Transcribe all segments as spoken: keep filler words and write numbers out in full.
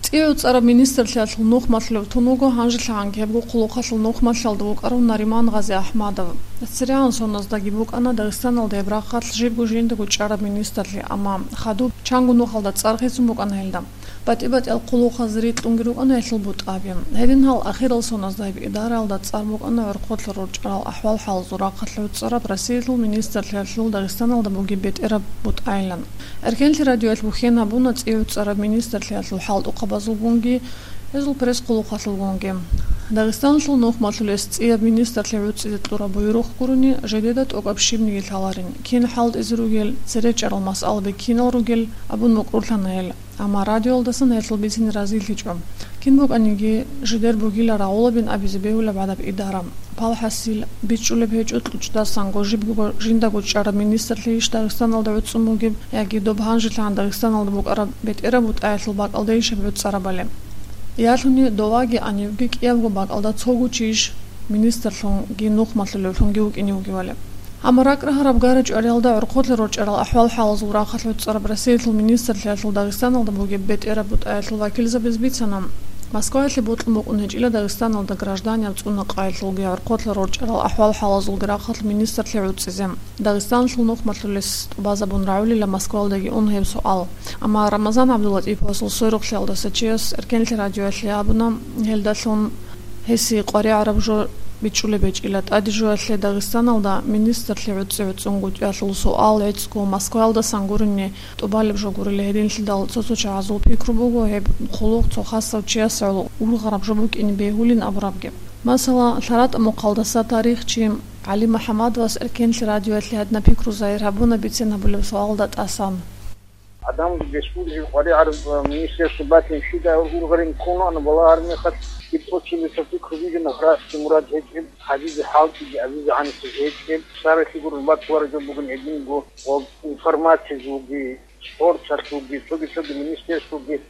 ЦӀикӀкӀараб министрлъиялъул нухмалъулев тун вуго гьанжелъагӀанги гьебго хъулухъалъул нухмалъалда вукӀарав Нариман Гъазиахмадов. ЦерегӀан соназдаги букӀана Дагъистаналда гьеб рахъалъ жибго жиндаго чӀараб министрлъи, амма хадуб чанго нухалда цӀар хисун букӀана гьелда. БатӀи-батӀиял хъулухъазе рикьунги рукӀана гьелъул бутӀаби. Гьедин гьал ахирал соназда гьеб идараялда цӀар букӀана гӀорхъолъа рорчӀарал ахӀвал-хӀалазул рахъалъ гӀуцӀараб Россиялъул министрлъиялъул Дагъистаналда бугеб бетӀераб бутӀайилан. Эркенлъи радиоялъ бухьен гьабуна цӀикӀкӀараб министрлъиялъул хӀалтӀухъабазулгунги, гьезул пресс-хъулухъалъулгунги. Дагъистаналъул нухмалъулес цӀияб министрлъи гӀуцӀизе кьураб буюрухъ гурони, жидеда тӀокӀаб щибниги лъаларин, кин хӀалтӀизе ругел, цере чӀарал масъалаби кинал ругел абун мукӀурлъана гьел. Амма радиоялдасан гьелъул бицине разилъичӀо. Кин букӀаниги, жидер бугила рагӀулабин абизе бегьулеб гӀадаб идара. ПалхӀасил, бичӀчӀулеб гьечӀо кьучӀдасанго жибго жиндаго чӀараб министрлъийищ Дагъистаналда гӀуцӀун бугеб, яги доб гьанжелъагӀан Дагъистаналда букӀараб бетӀераб бутӀаялъул бакӀалдейищ гьеб гӀуцӀарабали. Ялъуни доваги гьанивги кӀиябго бакӀалда цого чийищ министрлъунги нухмалъулевлъунги вукӀине вугевали. Амма ракӀ рагьараб гара-чӀвариялда гӀорхъолъа рорчӀарал ахӀвал-хӀалазул рахъалъ гӀуцӀараб Россиялъул министрлъиялъул Дагъистаналда бугеб бетӀераб бутӀаялъул вакилзабаз бицана, Москваялъе бокьун букӀун гьечӀила Дагъистаналда гражданиял цӀунакъаялъулги гӀорхъолъа рорчӀарал ахӀвал-хӀалазулги рахъалъ министрлъи гӀуцӀизе. Дагъистаналъул нухмалъулес тӀубазабун рагӀулила Москваялдаги ун гьеб суал. Амма Рамазан ГӀабдулатӀиповасул сверухълъиялдаса чияс Эркенлъи радиоялъе абуна, гьелдалъун гьесие къваригӀараб жо бичӀчӀулеб гьечӀила. ТӀаде жоялъе Дагъистаналда министрлъи гӀуцӀи-гӀуцӀунгутӀиялъул суал гӀицӀго Москваялдасан гурони тӀубалеб жо гурила, гьединлъидал цо-цо чагӀазул пикру буго гьеб хъулухъ цо хасав чиясагӀул ургъараб жо букӀине бегьулин абурабги. Масала, лъаратӀа мухъалдаса тарихчи ГӀали МухӀамадовас Эркенлъи радиоялъе гьадинаб пикру загьир гьабуна бицен гьабулеб суалда тӀасан. Гьадин республикаялъул къваригӀараб министерство батин щибдай ургъарин ккун вугоан балагьараб мехалъ, гьеб тӀоцебесеб пикру бугин гьарасги мурад гьечӀеб, гьабизе хӀалтӀиги абизе гӀанасеб гьечӀеб, саралъи гурун баккулареб жо бугин гьединго ва информациялъулги, спорталъулги, цоги-цоги министерствоги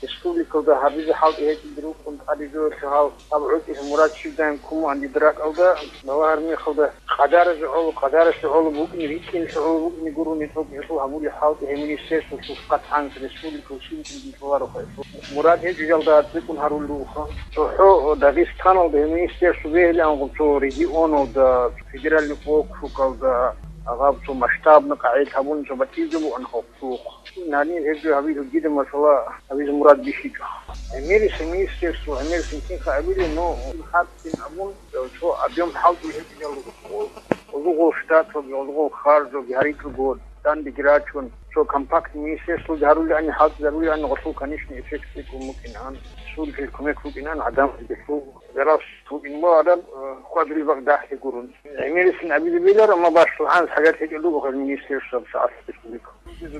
республикалда гьабизе хӀалтӀи гьечӀеб рукӀун тӀаде жоялъе гьал гьаб гӀутӀи мурад щибдай ккун вугоан дида ракӀалда, балагьараб мехалда къадаралъе гӀоло, къадаралъе гӀоло букӀине, рикӀкӀиналъе гӀоло букӀине гурони цо гьелъул гьабулеб хӀалтӀи гьеб министерствоялъул къатӀанца республикалъул щиб тӀинги кьоларо гьелъул. Мурад гьечӀеб жалда цӀикӀкӀун гьарулел руго. ЦохӀо Дагъистаналда гьеб министерство бегьилаангъуб цо регионалда, федеральный округалда, гьаб цо масштабный къагӀидаялъ гьабун цо батӀияб жо бугоан халкъалъухъ. Гьанир гьеб жо гьабизе дида, масала, гьабизе мурад бихьичӀо. ГӀемерисеб министерство, гӀемерисеб кинха абилеб, но хӀакъ кин абун, цо объем хӀалтӀи гьечӀеб жал руго. Гъозул штаталги, гъозул харжалги гьарикьаго, данде рачун, цо компактный министерствоги гьарулаани, хӀалтӀизарулаани, гъолъул, конечно, эффект цӀикӀкӀун букӀинаан, республикалъе кумек букӀинаан гӀадамазул. Зарал букӀин ва гӀадам, э, хьвадулеб бакӀ дагьлъи гурун. ГӀемерисин абизе бегьиларо, амма башхалъ гӀанас хӀажат гьечӀеб буго гьел министерствоялъ республика.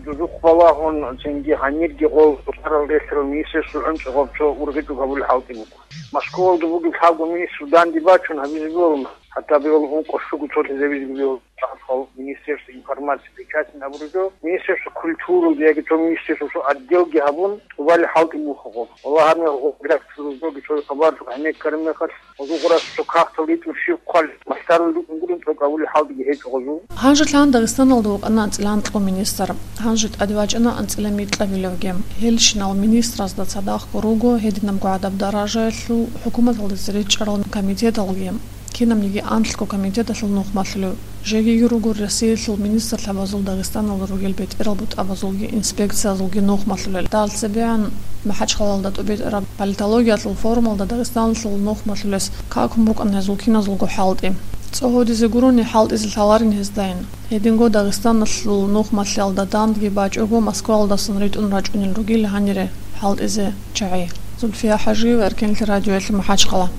Дозухъ балагьун, цинги гьанирги гъол сарал релълъарал министерство гӀунчӀи гъаб цо ургъичӀого гьабулеб хӀалтӀи буго. Москваялда бугеб лъабго министр данде бачун гьабизе бегьула, хӀатта бегьула ункъо щуго цолъизабизе бегьула. Министерство информации причастен абураб жо, Министерство культуралда яги цо министерствоялъул отделги гьабун, тӀубалеб хӀалтӀи буго гъоб. Валлагь, гьанир гъоб редакциялъул жоги цо хабар гьанир ккараб мехалъ, гъозул гъурас цо кагътал ритӀун щиб хъвалеб, махтарал рукӀун гурони тӀокӀаб гьабулеб хӀалтӀиги гьечӀо гъозул. Гьанже лъан Дагъистаналда вукӀана анцӀила анкьго министр. Гьанже тӀаде вачӀана анцӀила микьабилевги. Гьелщинал министразда цадахъго руго гьединабго гӀадаб даражаялъул хӀукуматалда цере чӀарал комитеталги. Кинабниги анлъго комитеталъул нухмалъулев, жегиги руго Россиялъул министрлъабазул Дагъистаналда ругел бетӀерал бутӀабазулги инспекциязулги нухмалъулел. Дагьал цебегӀан МахӀачхъалалда тӀубитӀараб политологиялъул форумалда Дагъистаналъул нухмалъулес какун букӀана гьезул киназулго хӀалтӀи. ЦӀогьодизе гурони хӀалтӀизе лъаларин гьездайин. Гьединго Дагъистаналъул нухмалъиялда дандги бачӀого Москваялдасан ритӀун рачӀунел ругел гьанире хӀалтӀизе чагӀи. Зульфия ХӀажиева, Эркенлъи радиоялъе, МахӀачхъала.